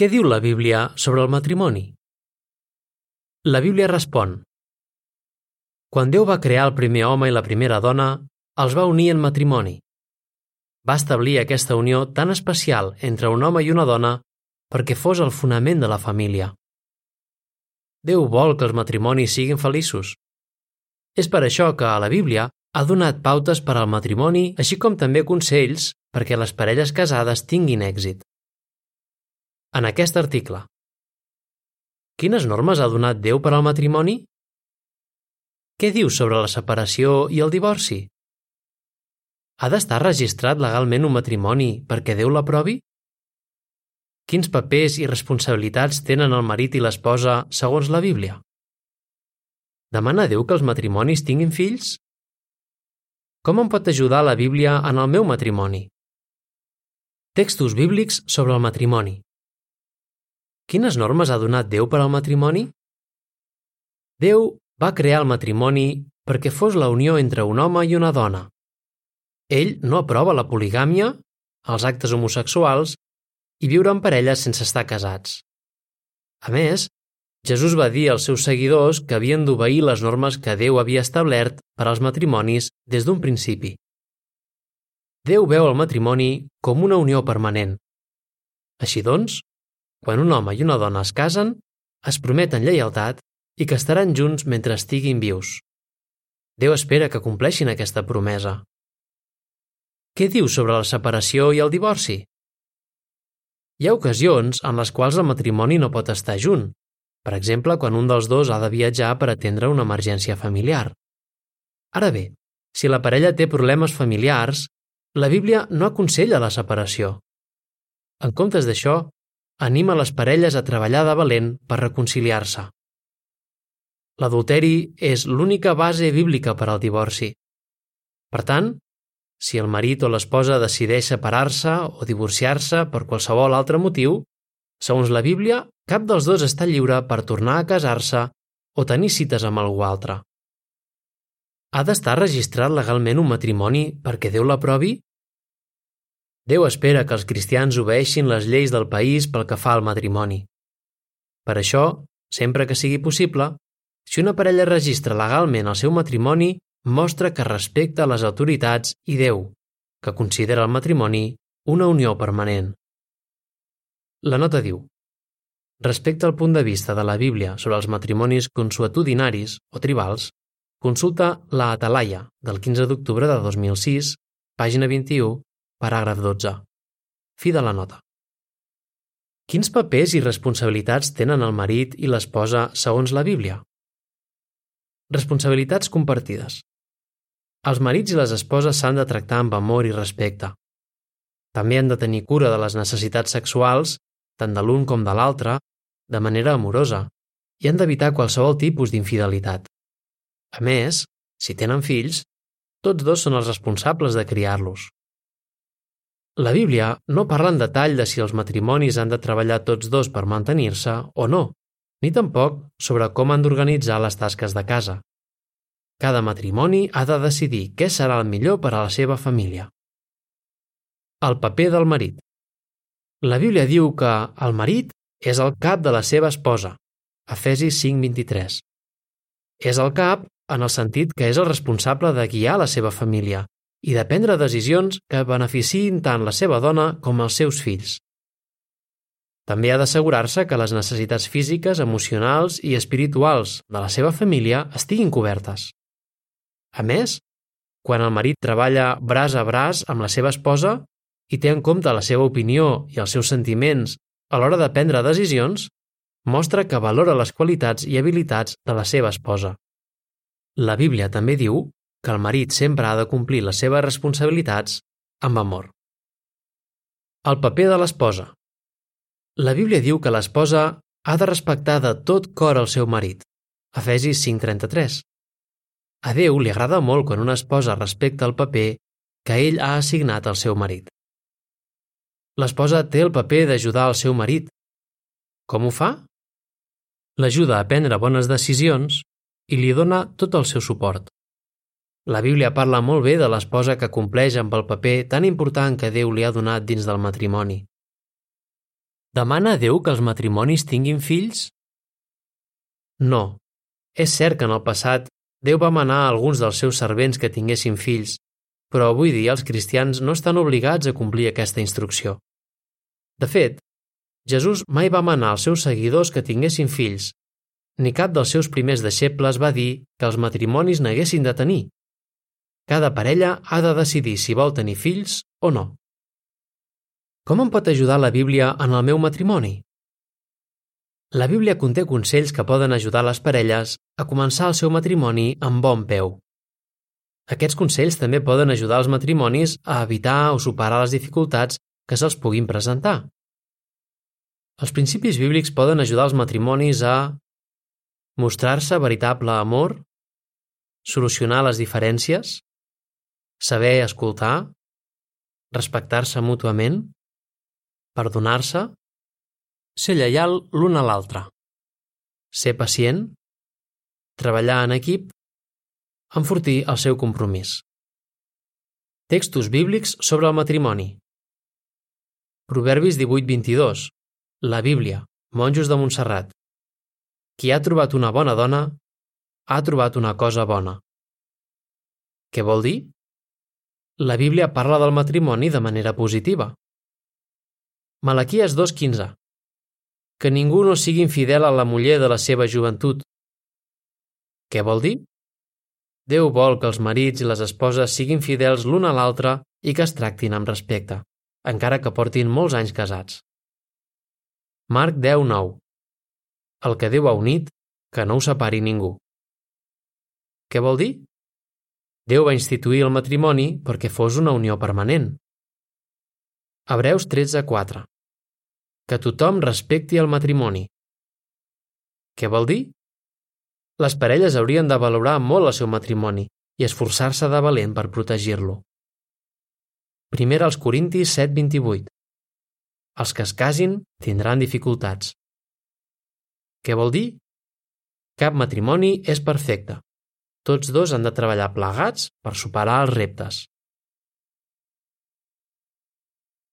Què diu la Bíblia sobre el matrimoni? La Bíblia respon: Quan Déu va crear el primer home i la primera dona, els va unir en matrimoni. Va establir aquesta unió tan especial entre un home i una dona perquè fos el fonament de la família. Déu vol que els matrimonis siguin feliços. És per això que a la Bíblia ha donat pautes per al matrimoni, així com també consells perquè les parelles casades tinguin èxit. En aquest article, quines normes ha donat Déu per al matrimoni? Què diu sobre la separació i el divorci? Ha d'estar registrat legalment un matrimoni perquè Déu l'aprovi? Quins papers i responsabilitats tenen el marit i l'esposa segons la Bíblia? Demana Déu que els matrimonis tinguin fills? Com em pot ajudar la Bíblia en el meu matrimoni? Textos bíblics sobre el matrimoni. Quines normes ha donat Déu per al matrimoni? Déu va crear el matrimoni perquè fos la unió entre un home i una dona. Ell no aprova la poligàmia, els actes homosexuals i viure en parelles sense estar casats. A més, Jesús va dir als seus seguidors que havien d'obeir les normes que Déu havia establert per als matrimonis des d'un principi. Déu veu el matrimoni com una unió permanent. Així doncs, quan un home i una dona es casen, es prometen lleialtat i que estaran junts mentre estiguin vius. Déu espera que compleixin aquesta promesa. Què diu sobre la separació i el divorci? Hi ha ocasions en les quals el matrimoni no pot estar junt, per exemple, quan un dels dos ha de viatjar per atendre una emergència familiar. Ara bé, si la parella té problemes familiars, la Bíblia no aconsella la separació. En comptes d'això, anima les parelles a treballar de valent per reconciliar-se. L'adulteri és l'única base bíblica per al divorci. Per tant, si el marit o l'esposa decideix separar-se o divorciar-se per qualsevol altre motiu, segons la Bíblia, cap dels dos està lliure per tornar a casar-se o tenir cites amb algú altre. Ha d'estar registrat legalment un matrimoni perquè Déu l'aprovi? Déu espera que els cristians obeeixin les lleis del país pel que fa al matrimoni. Per això, sempre que sigui possible, si una parella registra legalment el seu matrimoni, mostra que respecta les autoritats i Déu, que considera el matrimoni una unió permanent. La nota diu: respecte al punt de vista de la Bíblia sobre els matrimonis consuetudinaris o tribals, consulta la Atalaia del 15 d'octubre de 2006, pàgina 21, paràgraf 12. Fi de la nota. Quins papers i responsabilitats tenen el marit i l'esposa segons la Bíblia? Responsabilitats compartides. Els marits i les esposes s'han de tractar amb amor i respecte. També han de tenir cura de les necessitats sexuals, tant de l'un com de l'altre, de manera amorosa, i han d'evitar qualsevol tipus d'infidelitat. A més, si tenen fills, tots dos són els responsables de criar-los. La Bíblia no parla en detall de si els matrimonis han de treballar tots dos per mantenir-se o no, ni tampoc sobre com han d'organitzar les tasques de casa. Cada matrimoni ha de decidir què serà el millor per a la seva família. El paper del marit. La Bíblia diu que el marit és el cap de la seva esposa, Efesis 5:23. És el cap en el sentit que és el responsable de guiar la seva família i de prendre decisions que beneficiïn tant la seva dona com els seus fills. També ha d'assegurar-se que les necessitats físiques, emocionals i espirituals de la seva família estiguin cobertes. A més, quan el marit treballa braç a braç amb la seva esposa i té en compte la seva opinió i els seus sentiments a l'hora de prendre decisions, mostra que valora les qualitats i habilitats de la seva esposa. La Bíblia també diu que el marit sempre ha de complir les seves responsabilitats amb amor. El paper de l'esposa. La Bíblia diu que l'esposa ha de respectar de tot cor el seu marit, Efesis 5:33. A Déu li agrada molt quan una esposa respecta el paper que ell ha assignat al seu marit. L'esposa té el paper d'ajudar el seu marit. Com ho fa? L'ajuda a prendre bones decisions i li dona tot el seu suport. La Bíblia parla molt bé de l'esposa que compleix amb el paper tan important que Déu li ha donat dins del matrimoni. Demana a Déu que els matrimonis tinguin fills? No. És cert que en el passat Déu va manar a alguns dels seus servents que tinguessin fills, però avui dia els cristians no estan obligats a complir aquesta instrucció. De fet, Jesús mai va manar als seus seguidors que tinguessin fills, ni cap dels seus primers deixebles va dir que els matrimonis n'haguessin de tenir. Cada parella ha de decidir si vol tenir fills o no. Com em pot ajudar la Bíblia en el meu matrimoni? La Bíblia conté consells que poden ajudar les parelles a començar el seu matrimoni amb bon peu. Aquests consells també poden ajudar els matrimonis a evitar o superar les dificultats que se'ls puguin presentar. Els principis bíblics poden ajudar els matrimonis a mostrar-se veritable amor, solucionar les diferències, saber escoltar, respectar-se mútuament, perdonar-se, ser lleial l'un a l'altre, ser pacient, treballar en equip, enfortir el seu compromís. Textos bíblics sobre el matrimoni. Proverbis 18:22. La Bíblia, monjos de Montserrat. Qui ha trobat una bona dona, ha trobat una cosa bona. Què vol dir? La Bíblia parla del matrimoni de manera positiva. Malaquies 2:15. Que ningú no sigui infidel a la muller de la seva joventut. Què vol dir? Déu vol que els marits i les esposes siguin fidels l'un a l'altre i que es tractin amb respecte, encara que portin molts anys casats. Marc 10:9. El que Déu ha unit, que no ho separi ningú. Què vol dir? Déu va instituir el matrimoni perquè fos una unió permanent. Hebreus 13:4. Que tothom respecti el matrimoni. Què vol dir? Les parelles haurien de valorar molt el seu matrimoni i esforçar-se de valent per protegir-lo. 1 Corintis 7:28. Els que es casin tindran dificultats. Què vol dir? Cap matrimoni és perfecte. Tots dos han de treballar plegats per superar els reptes.